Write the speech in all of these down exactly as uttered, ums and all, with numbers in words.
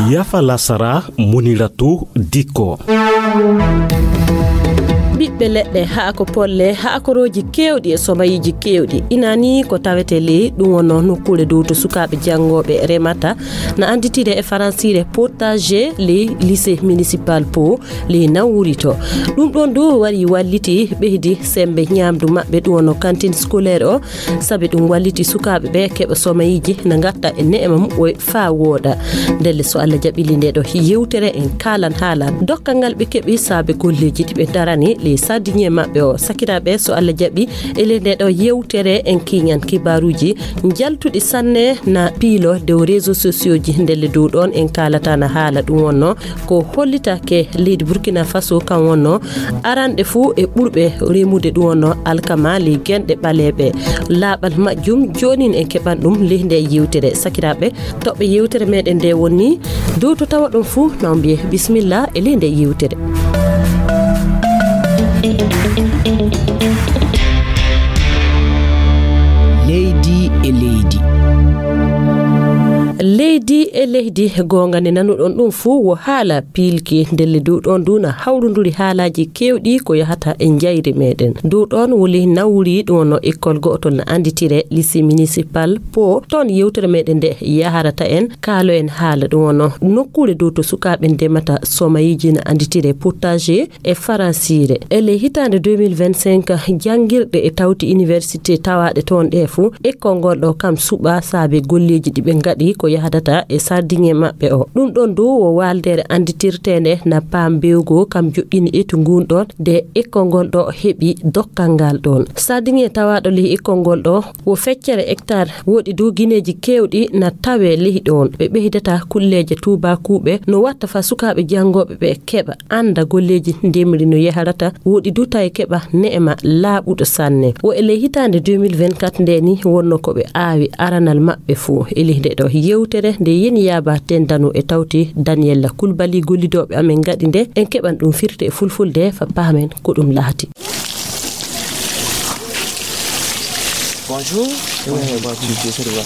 Yafa lasara, Muniratu Dikko. Ɓiɓɓe leɗɗe, haako polle, haakorooji keewɗi e somayiiji keewɗi. Ina nii ko tawetee ley ɗum wonnoo nokkuure dow to sukaaɓe janngooɓe remata, na annditire e faransiire potager ley lycée municipal Pau ley Nawuuri to. Ɗum ɗoon du wari walliti ɓeydi semmbe ñaamdu maɓɓe ɗum wonnoo cantine scolaire o, sabi ɗum walliti sukaaɓe ɓe keɓa somayiiji na ngatta e neema muɓɓoy faa wooɗa. Ndelle so Allah jaɓii ley ndee ɗoo yewtere en kaalan haala dokkal ngal ɓe keɓi saabe golleeji ɗi ɓe ndarani ley sardinier maɓɓe o. Sakiraaɓe, so Allah jaɓii e ley ndee ɗoo yewtere en kiiñan kibaaruuji njaltuɗi sanne na piilo dow réseaux sociaux ji. Ndelle dow ɗoon en kaalata na haala ɗum wonnoo ko hollitake leydi Burkina Faso kan wonnoo aranɗe fuu e ɓurɓe remude ɗum wonnoo alkama ley genɗe ɓaleeɓe. Laaɓal majjum joonin en keɓan ɗum ley ndee yewtere. Sakiraaɓe, toɓɓe yewtere meɗen nde woni dow to tawa ɗum fuu na on mbiye bisimilla e ley ndee yewtere. Leydi e leydi. Leydi e leydi, goonga nde nanuɗon ɗum fuu wo haala piilki. Ndelle dow ɗoon du na hawrunduri haalaaji keewɗi ko yahata e njayri meɗen. Dow ɗoon woni Nawuuri, ɗum wonnoo école go'otol na annditire lycée municipal Pau. Toon yewtere meɗen nde yaharata en, kaalo en haala ɗum wonnoo nokkuure dow to sukaaɓe ndemata somayiiji na annditire potager e faransiire. E ley hitaande deux mille vingt-cinq, janngirɗe e tawti université tawaaɗe toon ɗe fuu, école ngol ɗo kam suɓa saabe golleeji ɗi ɓe ngaɗi ko yahdata e sardinier maɓɓe o. Ɗum ɗoon du wo waaldeere annditirteende na Pau Mbewgo kam joɗɗini etu ngun ɗoon nde école ngol ɗo heɓi dokkal ngal ɗoon. Sardinier tawaaɗo ley école ngol ɗo wo feccere hectare, woɗi du gineeji keewɗi na tawee ley ɗoon. Ɓe ɓeydata kulleeje tuubaakuuɓe no watta faa sukaaɓe janngooɓe ɓe keɓa annda golleeji ndemri no yahrata, woɗi du tawi keɓa neema laaɓuɗo sanne. Wo e ley hitaande deux mille vingt-quatre nde ni wonnoo ko ɓe aawi aranal maɓɓe fuu. E ley nde ɗo yewtere nde yeni yaaba tendano e tawti Daniela Kulbali gollidooɓe amen ngaɗi nde, en keɓan ɗum firti e fulfulde faa paamen ko ɗum laati. Bonjour.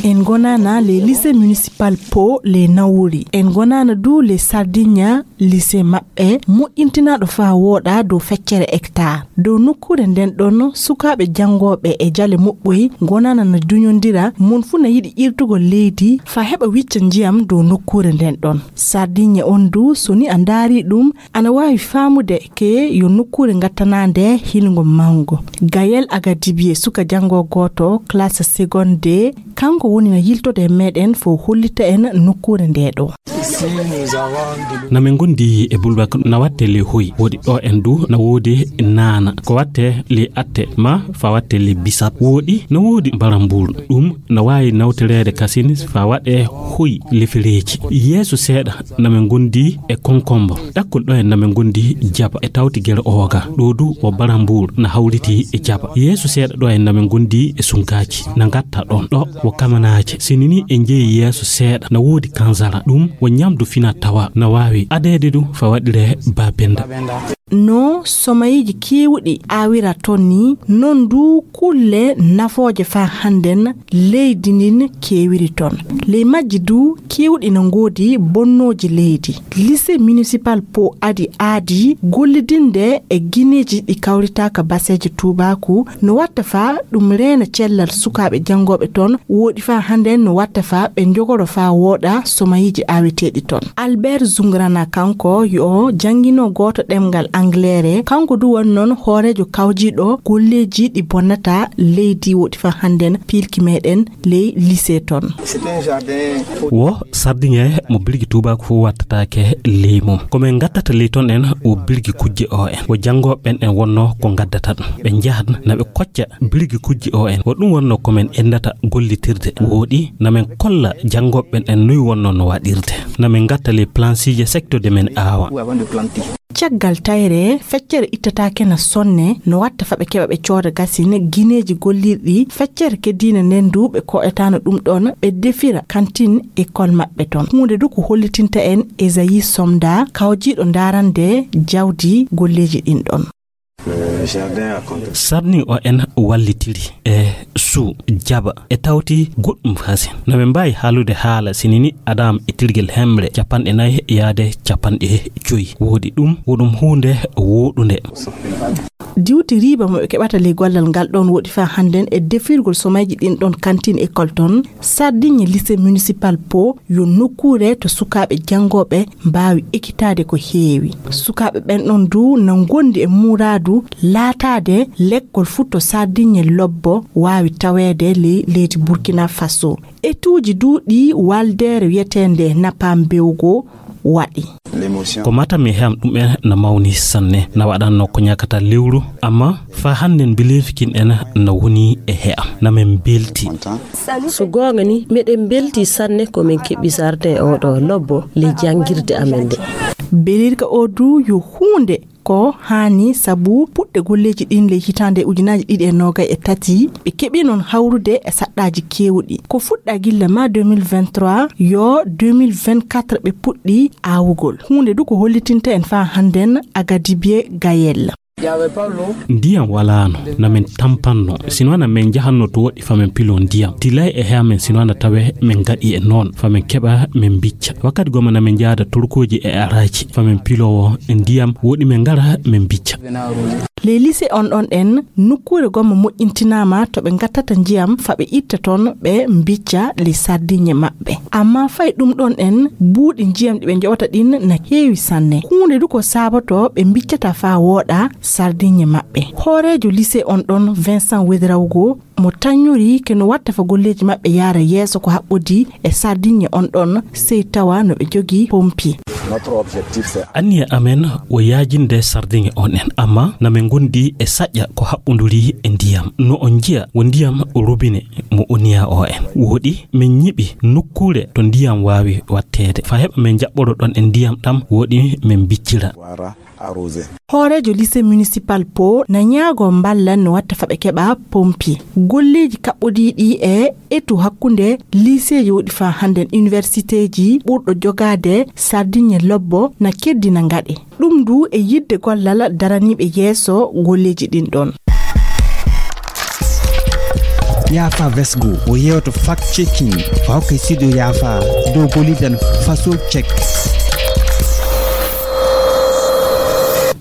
En ngonaana le lycée municipal Pau le Nawuuri. En ngonaana du le Sardinia lycée maɓɓe moƴƴintinaaɗo faa wooɗa dow feccere hectare. Dow nokkuure nden ɗon, sukaaɓe janngooɓe e jale moɓɓoy ngonaana na duñondira, mon fuu na yiɗi irtugol leydi faa heɓa wicca njiyam dow nokkuure nden ɗon. Sardinia on du, so ni a ndaari ɗum, ana waawi faamude ke yo nokkuure ngattanaande hilngo mawngo. Gaël Agadibie, suka janngo gooto, classe seconde deux, kanko woni na yiltode e meɗen fo hollita en nokkuure nde ɗo. Na min ngondi e bulbak na watte le hoy, woɗi ɗo en du na woodi naana, ko watte le atte ma fa watte le bisap, woɗi na woodi mbaramburu, ɗum na waawi nawtireede kasin fa waɗe hoy lefereeji. Yeeso seeɗa na min ngondi e konkombo. Ɗakkol ɗo en na min ngondi jaba e tawti gere ooga. Ɗo du wo barambur na hawriti e jaba. Yeeso seeɗa ɗo en na min ngondi e sunkaaji. Na ngatta ɗon. Ɗo wo kamanaaje. Sinini e njeyi yeeso seeɗa na woodi kanzara. Ɗum wo ñamdu fina tawa na waawi adeede du fa waɗire babenda. No somayiji keewɗi aawira ton ni, non du kulle nafooje faa hannden leydi ndin keewiri ton. Ley majji du keewɗi no ngoodi bonnooji leydi. Lycée municipal Pau adi aadi gollidinde e gineeji ɗi kawritaaka baseeje tuubaaku no watta faa ɗum reena cellal sukaaɓe janngooɓe ton, woɗi faa hannden no watta faa ɓe njogoro faa wooɗa somayiji aaweteeɗi ton. Albert Zungrana kanko yo jannginoo gooto ɗemngal Angleere, kanko du woni noon hooreejo kawjiiɗo golleeji ɗi bonnata leydi woɗi faa hannden piilki meɗen ley lycée ton. Wo sardiŋe mo birgi tuubaaku fof wattataake ley mum. Ko min ngattata ley ton en wo birgi kujje o en. Wo janngooɓe ɓen en wonnoo ko ngaddata ɗum. Ɓe njahat na ɓe kocca birgi kujje o en. Wo ɗum wonnoo ko min enndata gollitirde. Wooɗi na min kolla janngooɓe ɓen en noy wonnoo no waɗirde. Na min ngatta ley plansiije secteur de min aawa. Caggal tayre, feccere ittataake na sonne, no watta fa ɓe keɓa ɓe cooda gasin gineeji gollirɗi feccere keddiine nden du ɓe ko'etaano ɗum ɗon, ɓe defira kantin école maɓɓe ton. Huunde du ko hollitinta en Esayi Somda, kawjiiɗo ndaarande jawdi golleeji ɗin ɗon. Sardiŋ o en wallitiri e suu jaɓa e tawti goɗɗum fasin. Na min mbaawi haalude haala sinini Adam e tirgel hemre capanɗe nayi yaade capanɗe joyi. Woodi ɗum, woɗum huunde woɗunde. Diwti riiba mo ɓe keɓata ley gollal ngal ɗon woɗi faa hannden e defirgol somayji ɗin ɗon kantin école ton. Sardiŋe lycée municipal Po yo nokkuure to sukaaɓe janngooɓe mbaawi ekitaade ko heewi. Sukaaɓe ɓen ɗon du na ngondi e muraadu laataade lekkol fuu to Sardiŋe lobbo waawi taweede ley leydi Burkina Faso. Etuuji du ɗi waldeere wiyeteende Napam Bewgo waɗi. Ko mata mi heam ɗum en na mawni sanne, na waɗanno ko ñakata lewru, amma faa hannden mbileefikin en na woni e heam. Na men mbelti. So goonga ni, meɗen mbelti sanne ko men keɓi sarde oɗo lobbo le janngirde amen nde. Belirka o du yo huunde ko haani sabu puɗɗe golleeji ɗin ley hitaande ujunaaji ɗiɗi e noogay e tati, ɓe keɓi noon hawrude e saɗɗaaji keewɗi. Ko fuɗɗa gilla ma deux mille vingt-trois, yo deux mille vingt-quatre ɓe puɗɗi aawugol. Huunde du ko hollitinta en faa hannden Agadibie Gayel. Ndiyam walaano, na men tampanno. Sinwana men jahanno to woɗɗi fa men pilo ndiyam. Tilay e hea men sinwana tawe men gaɗi e noon. Fa men keɓa men bicca. Wakkati goma na men jaada turkuuji e araaji. Fa men pilowo ndiyam woɗi men ngara men bicca. Ley lise on ɗon en, nokkuure gomma moƴƴintinaama to ɓe ngattata njiyam fa ɓe itta toon ɓe mbicca ley sardiŋe maɓɓe. Amma fay ɗum ɗon en, buuɗi njiyam ɗi ɓe njoɓata ɗin na heewi sanne. Huunde du ko saaboto ɓe mbiccata faa wooɗa sardiŋe maɓɓe. Hooreejo lise on ɗon, Vincent Wedrawgo, mo taññori ke no watta fa golleeji maɓɓe yaara yeeso ko haɓɓodi e sardiŋe on ɗon, sey tawa no ɓe jogii pompi. Anniya amen o yaajinde sardiŋe on en, amma na men ngondi e saƴƴa ko haɓɓunduri e ndiyam. No on njiya wo ndiyam robine mo oniya o en. Woɗi men ñiɓi nokkuure to ndiyam waawi watteede. Fa heɓa men jaɓɓoro ɗon en ndiyam ɗam woɗi men biccira. Hooreejo lycée municipal Po na ñaago mballa no watta fa ɓe keɓa pompi. Golleeji kaɓɓodiiɗi e etu hakkunde liiseeji woɗi faa hannden universiteeji ɓurɗo jogaade sardiŋe lobbo na keddina ngaɗe. Ɗum du e yiɗde gollal daraniiɓe yeeso golleeji ɗin ɗon. Yaafa Vesgo o yewto fact checking o hokka studio Yaafa dow gollidan faso check.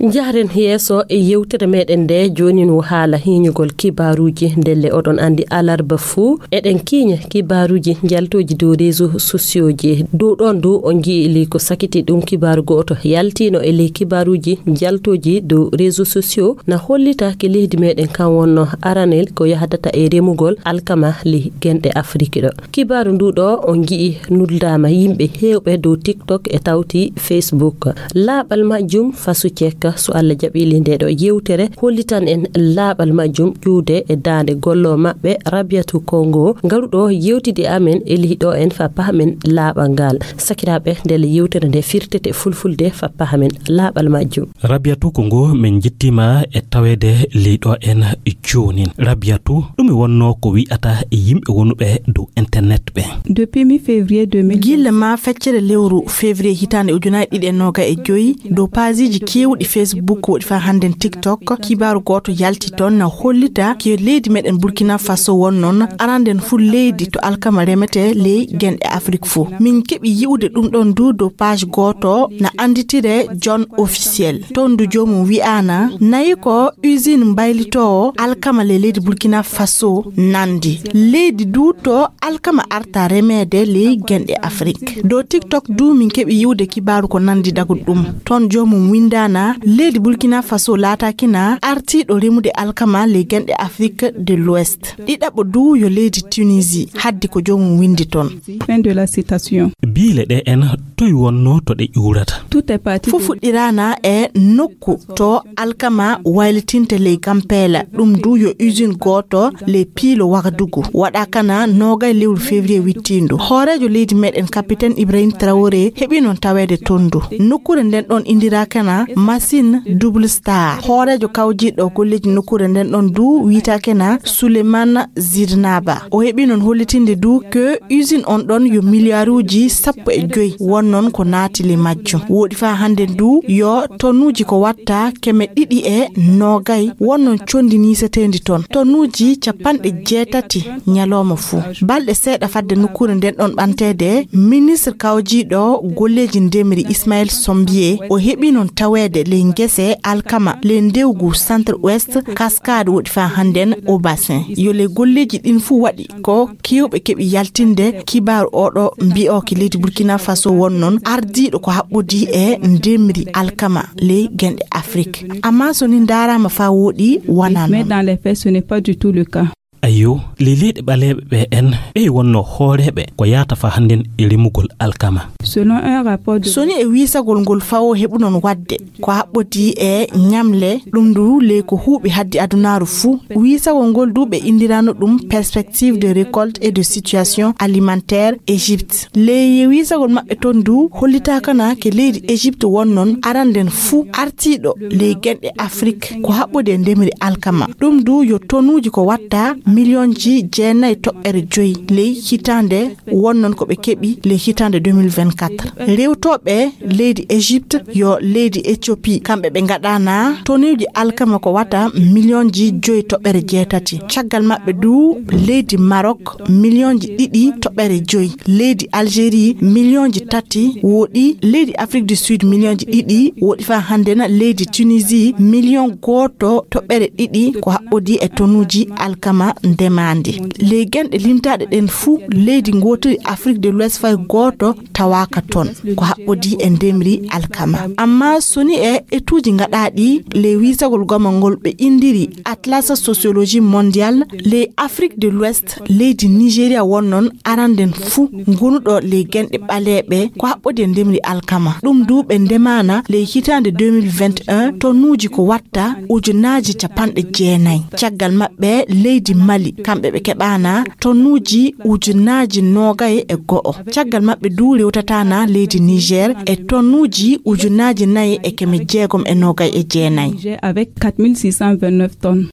Njahden yeeso e yewtere meɗen nde, joonin wo haala hiiñugol kibaaruuji. Ndelle oɗon anndi alarba fuu eɗen kiiña kibaaruuji njaltooji dow réseau sociaux ji. Dow ɗoon du on nji'i li ko sakiti ɗum kibaaru gooto yaltiino e ley kibaaruuji njaltooji dow réseau sociaux na hollita ke leydi meɗen kan wonno aranel ko yahdata e remugol alkama ley genɗe Afrik ɗo. Kibaaru ndu ɗo on nji'i nuldaama yimɓe heewɓe dow TikTok e tawti Facebook. Laaɓal majjum fasu cekka, so Allah jaɓili nde ɗo yewtere hollitan en laaɓal majjum ƴuwde e daande gollo maɓɓe Rabiatu Kongo, ngaruɗo yewtidi amen e ley ɗo en fa pahamen laaɓal ngal. Sakiraaɓe, ndelle yewtere nde firtete fulfulde fa pahamen laaɓal majjum. Rabiatu Kongo, men njettiima e taweede ley ɗo en joonin. Rabiatu, ɗume wonno ko wi'ata e yimɓe wonuɓe dow internet ɓe? Depuis mi février deux mille. Gilla ma feccere lewru février hitaande ujunaaji ɗiɗi e noogay e joyi, dow paasiiji keewɗi Facebook woɗi faa hannden TikTok, kibaaru gooto yalti toon na hollita ke leydi meɗen Burkina Faso won noon aranden fuu leydi to alkama remetee ley genɗe Afrik fuu. Min keɓi yi'ude ɗum ɗon du dow page gooto na annditire John Officiel. Toon du joomum wi'aana nayi ko usine mbaylitoowo alkama ley leydi Burkina Faso nandi. Leydi du to alkama arta remeede ley genɗe Afrik. Dow TikTok du min keɓi yi'ude kibaaru ko nandi daguɗo ɗum. Toon joomum winndaana leydi Burkina Faso laataaki na artiiɗo remude alkama ley genɗe Afrik de l'Ouest. Ɗiɗaɓo du yo leydi Tunisie, haddi ko joomum winndi toon. Fin de la citation. Biile ɗe en toy wonno to ɗe ƴuurata? Tout est parti. Fof fuɗɗiraana e nokku to alkama waylitinte ley Gampeela. Ɗum du yo usine gooto ley piilo Wagadugu. Waɗa kana noogay lewru février wittiindu. Hooreejo leydi meɗen Capitaine Ibrahim Traoré heɓi noon taweede toon du. Nokkuure nden ɗon indiraaka na Massi Sin Double Star. Hooreejo kawjiiɗo golleeji nokkuure nden ɗon du wiitaake na Souleymane Zidnaba. O heɓi noon hollitinde du que usine on ɗon yo miliyaaruuji sappo e joy won noon ko naati le majjum. Wooɗi faa hannden du yo tonnuuji ko watta keme ɗiɗi e noogay won noon conndi niiseteendi toon. Tonnuuji capanɗe jeetati ñalooma fuu. Balɗe seeɗa fadde nokkuure nden ɗon ɓanteede, ministre kawjiiɗo golleeji ndemri Ismaël Sombier o heɓi noon taweede ley ngese alkama ley ndewgu Centre Ouest Cascade woɗi faa hannden o bassin. Yo ley golleeji ɗin fuu waɗi ko keewɓe keɓi yaltinde kibaaru oɗo mbi'ooki leydi Burkina Faso won noon ardiiɗo ko haɓɓodii e ndemri alkama ley genɗe Afrik. Ammaa so ni ndaaraama faa wooɗi, wanaa noon. Mais dans les faits, ce n'est pas du tout le cas. Ayyo, ley leyɗe ɓaleeɓe ɓe en, ɓey wonno hooreeɓe ko yaata faa hannden e remugol alkama. Selon un rapport de... So ni e wiisagol ngol fawo heɓu noon waɗde ko haɓɓodii e ñamle, ɗum du ley ko huuɓi haddi adunaaru fuu. Wiisagol ngol du ɓe inndirano ɗum Perspective de récolte et de situation alimentaire Égypte. Ley wiisagol maɓɓe toon du hollitaaka na ke leydi Égypte won noon aranden fuu artiiɗo ley genɗe Afrik ko haɓɓodi e ndemri alkama. Ɗum du yo tonuuji ko watta miliyonji jeenayi toɓɓere joyi ley hitaande won noon ko ɓe keɓi ley hitaande deux mille vingt-quatre. Rewtooɓe leydi Égypte yo leydi Éthiopie, kamɓe ɓe ngaɗana tonuuji alkama ko wata miliyonji joyi toɓɓere jeetati. Caggal maɓɓe du leydi Maroc, miliyonji ɗiɗi toɓɓere joyi. Leydi Algérie, miliyonji tati wooɗi. Leydi Afrique du Sud, miliyonji ɗiɗi wooɗi faa hannden. Leydi Tunisie, miliyon gooto toɓɓere ɗiɗi ko haɓɓodi e tonuuji alkama ndemaandi. Ley genɗe limtaaɗe ɗen fuu, leydi ngootiri Afrique de l'Ouest fay gooto tawaaka toon ko haɓɓodi e ndemri alkama. Amma so ni e etuuji ngaɗaaɗi ley wiisagol gomol ngol ɓe inndiri Atlas Sociologie Mondiale, ley Afrique de l'Ouest, leydi Nigeria won noon aranden fuu ngonuɗo ley genɗe ɓaleeɓe ko haɓɓodi e ndemri alkama. Ɗum du ɓe ndemaana ley hitaande deux mille vingt et un tonuuji ko watta ujunaaji capanɗe jeenayi. Caggal maɓɓe leydi Mali, kamɓe ɓe keɓaana tonuuji ujunaaji noogay e go'o. Caggal maɓɓe du rewtataana leydi Niger e tonuuji ujunaaji nayi e keme jeegom e noogay e jeenayi. Niger avec quatre mille six cent vingt-neuf tonnes.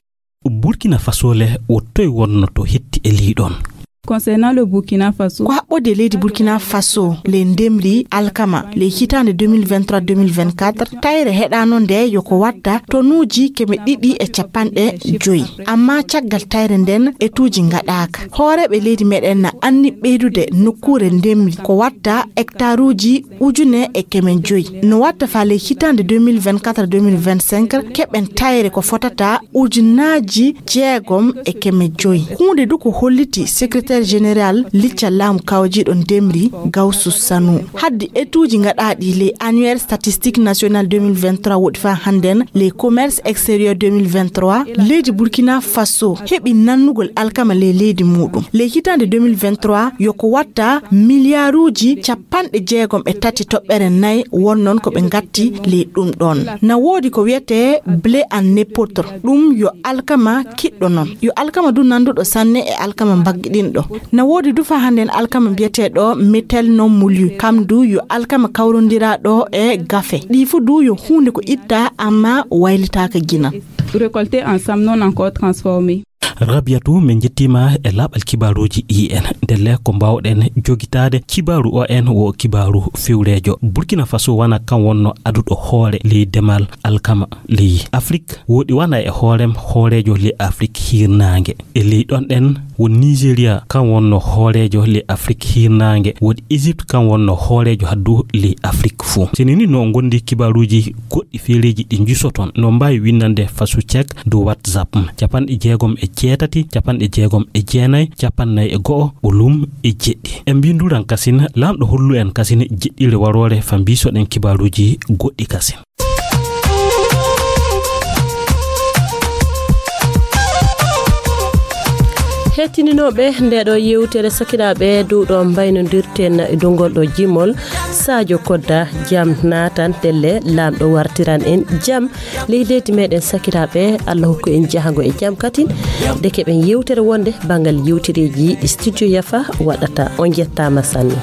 Burkina Faso le, wo toy wonno to hetti e ley ɗon? Concernant le Burkina Faso. Ko haɓɓodi e leydi Burkina Faso ley ndemri alkama ley hitaande deux mille vingt-trois deux mille vingt-quatre, tayre heɗaano nde yo ko watta tonuuji keme ɗiɗi e capanɗe joyi. Amma caggal tayre nden etuuji ngaɗaaka. Hooreeɓe leydi meɗen na anni ɓeydude nokkuure ndemri ko watta hectaruuji ujune e keme joyi. No watta faa ley hitaande deux mille vingt-quatre deux mille vingt-cinq keɓen tayre ko fotata ujunaaji jeegom e keme joyi. Huunde du ko holliti secrétaire général liccal laamu kawjiiɗo ndemri Gawsu Sanu. Haddi etuuji ngaɗaaɗi ley annuaire statistique national deux mille vingt-trois woɗi faa hannden ley commerce extérieur deux mille vingt-trois, leydi Burkina Faso heɓi nannugol alkama ley leydi muuɗum. Ley hitaande deux mille vingt-trois yo ko watta miliyaaruuji capanɗe jeegom e tati toɓɓere nayi won noon ko ɓe ngatti ley ɗum ɗon. Na woodi ko wiyetee blé en épeautre, ɗum yo alkama kiɗɗo noon. Yo alkama du nannduɗo sanne e alkama mbaggiɗinɗo. Na woodi du faa hannden alkama mbiyeteeɗo métel non moulu, kam du yo alkama kawrondiraaɗo e gafe. Ɗi fuu du yo huunde ko itta amma waylitaaka ginan. Récolté ensemble, non encore transformé. Rabiatu, min njettiima e laaɓal kibaaruuji ɗi en. Ndelle ko mbaawɗen jogitaade kibaaru o en wo kibaaru fewreejo. Burkina Faso wona kan wonno aduɗo hoore ley demal alkama ley Afrik. Woodi wona e hoorem hooreejo ley Afrik hirnaange. E ley ɗon ɗen won Nigeria kan wonno hooreejo ley Afrik hirnaange. Woodi Égypte kan wonno hooreejo haddu ley Afrik fuu. Seni ni no ngondi kibaaruuji goɗɗi feereeji ɗi njusoton, no mbaawi winnande fasu cek dow WhatsApp, capanɗe jeegom e jeetati, capanɗe jeegom e jeenayi, capannay e go'o, ɓolum e jeɗɗi. En mbinduran kasin, laamɗo hollu en kasin jeɗɗire waroore fa mbisoɗen kibaaruuji goɗɗi kasin. Hettininooɓe nde ɗo yewtere, sakiraaɓe, dow ɗo mbaynodirten e dow ngol ɗo jimol. Sadio Kodda, jam naatan, ndelle laamɗo wartiran en jam ley leydi meɗen, sakiraaɓe. Allah hokku en jahango e jam katin, de keɓen yewtere wonde banngal yewtereeji Studio Yafa waɗata. On njettaama sanne.